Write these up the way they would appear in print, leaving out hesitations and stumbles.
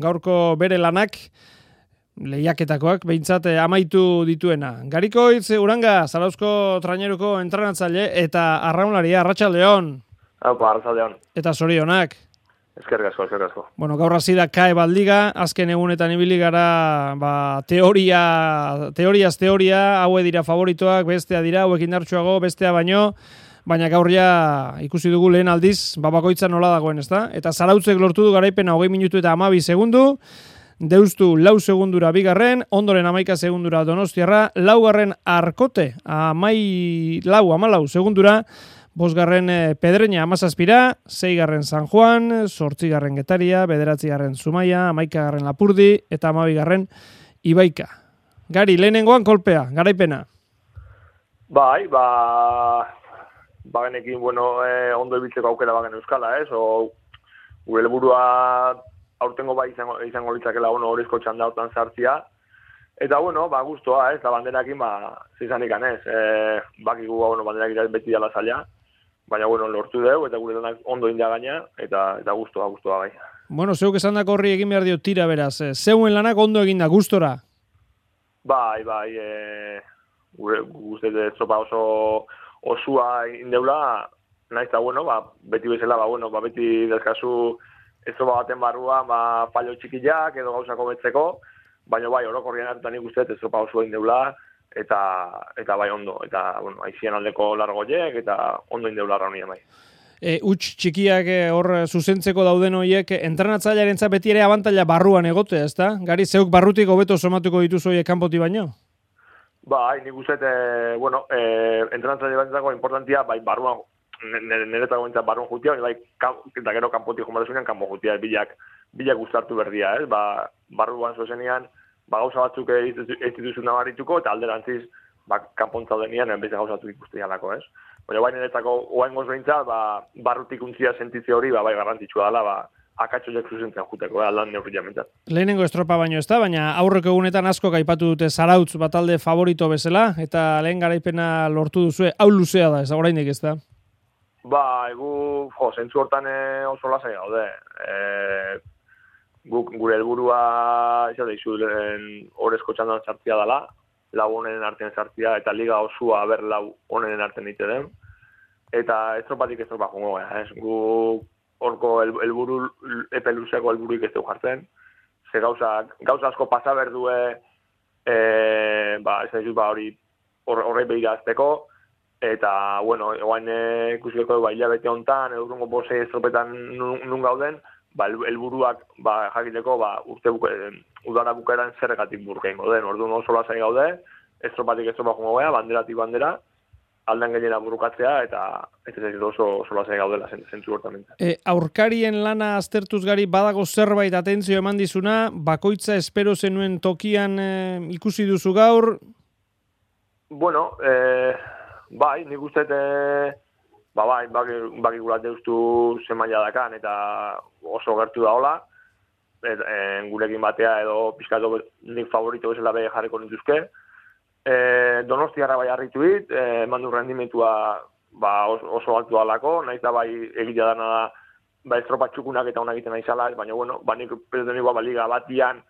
Gaurko bere lanak, lehiaketakoak, behintzat amaitu dituena. Garikoitz, Uranga, Zarauzko traineruko entrenatzaile eta arraunlaria, Arratsaldeon. Arratsaldeon. Eta zorionak. Eskerrik asko. Bueno, gaur hasi da CAE Bat Liga, azken egunetan ibili gara, teoriaz teoria, haue dira favoritoak, bestea dira, hauek indartsuago, bestea baina gaur ja ikusi dugu lehen aldiz, bakoitza nola dagoen, ezta? Eta Zarautzek lortu du garaipena 20 minutu eta 12 segundu, Deustu 4 segundura bigarren, ondoren 11 segundura Donostiarra, laugarren Arkote, 14 segundura, bosgarren Pedreña 17, 6garren San Juan, 8garren Getaria, 9garren Zumaia, 11garren Lapurdi eta 12garren Ibaika. Gari, lehenengoan kolpea, garaipena. Bagenekin, ondo ibiltzeko aukera bagen euskala, gure helburua aurtengo izango litzakela horrezko txanda hortan sartzia. Eta, guztua, da banderakin, zizanik anez. Bakigu, banderakin beti dala zaila. Baina, lortu dugu, eta gure lanak ondo inda gaina, eta guztua gai. Zeuk esan dako horri egin behar dio tira, beraz. Zeuen lanak ondo eginda, gustora? Gure estropa oso osua indeula, nahiz eta, beti bezala, beti dezkazu estropa baten barrua, fallo txikiak edo gauzako betzeko, baina orokorrien hartutan ikusten estropa osua indeula, eta ondo, eta, aizien aldeko largoiek, eta ondo indeula raunia bai. Huts txikiak hor zuzentzeko dauden horiek, entrenatzailearentzat beti ere abantaila barruan egote, ezta? Gari, zeuk barrutik hobeto somatuko dituzu horiek kanpoti baino? Nik uste, entrenatzaile batzako importantia, barruan, niretako bintzat barruan jutia, eta gero kanpotik jomatasunean kanpo jutia, bilak gustartu berdia, barruan zuzenean, gauza batzuk ez dituzu nabarituko, eta alderantziz, kanpontza denean, beste gauza batzuk ikusten jalako, Baina niretako oaingoz behintzat, barrutik untzia sentitze hori, garrantzitsua dela, akatxoiek zuzentzen juteko, aldan neurria mentzat. Lehenengo estropa baino ez da, baina aurreko egunetan asko gaipatu dute Zarautz batalde favorito bezala, eta lehen garaipena lortu duzue, hau luzea da, ez oraindik ez da? Zentzu hortan oso lasai gaude. Gure helburua horrezko txandan sartzia dela, lau honenen artean sartzia, eta liga osua ber lau honenen artean ite den. Eta estropatik estropa jongo gara, Gu horko epe luzeako helburuik ez dugu jartzen. Ze gauza asko pasa berdue, horrei behirazteko, eta, egoain ikusikeko hilabete honetan, edurrungo bose estropetan nun gauden, helburuak jakiteko udara bukaeran zerregatik burkein goden. Orduan oso lasai gaude, estropatik estropa jongo gara, banderatik bandera, aldan gehiena burukatzea, eta ez oso lasai gaudela zentzu hortamenta. Aurkarien lana aztertuz Gari, badago zerbait atentzio eman dizuna, bakoitza espero zenuen tokian ikusi duzu gaur? Nik uste, bakigulat deustu zemaila dakan, eta oso gertu da hola, gurekin batea edo pizkatu nik favorito bezala behe jarriko nituzke. Donostiarra harritu dit, eman du rendimentua oso altu alako, nahiz da egitea dana da estropa txukunak eta honak egiten aizala, baina nik pedoten igual liga batian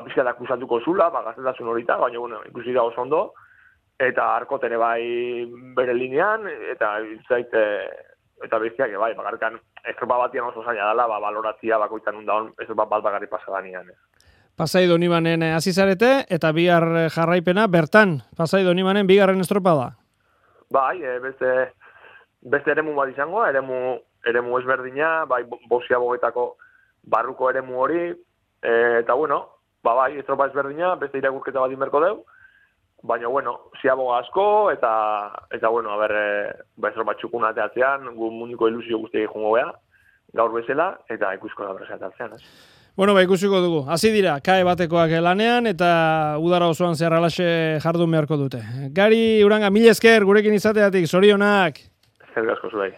pizkat akusatuko zula, gaztetasun horita, baina ikusi da oso ondo, eta Arkoten bere linean, eta eta bestiak bakarkan estropa batian oso zaila dela, baloratzia bakoitzan undaun, estropa bat bagarri pasadanean. Pasai Donibanen hasi zarete, eta bihar jarraipena, bertan, Pasai Donibanen bigarren estropa da? Beste eremu bat izango, eremu ezberdina, Bosia bogetako barruko eremu hori, eta estropa ezberdina, beste irakurketa bat inberko deu, baina, ziaboga asko, eta estropa txukuna teatzean, gu munduko ilusio guztiak jongo beha, gaur bezala, eta ikusko da berrezat atzean, ikusiko dugu. Hasi dira, CAE batekoak lanean, eta udara osoan zehar alaxe jardun beharko dute. Gari, Uranga, mila esker, gurekin izateatik, zorionak. Eskerrik asko zuei.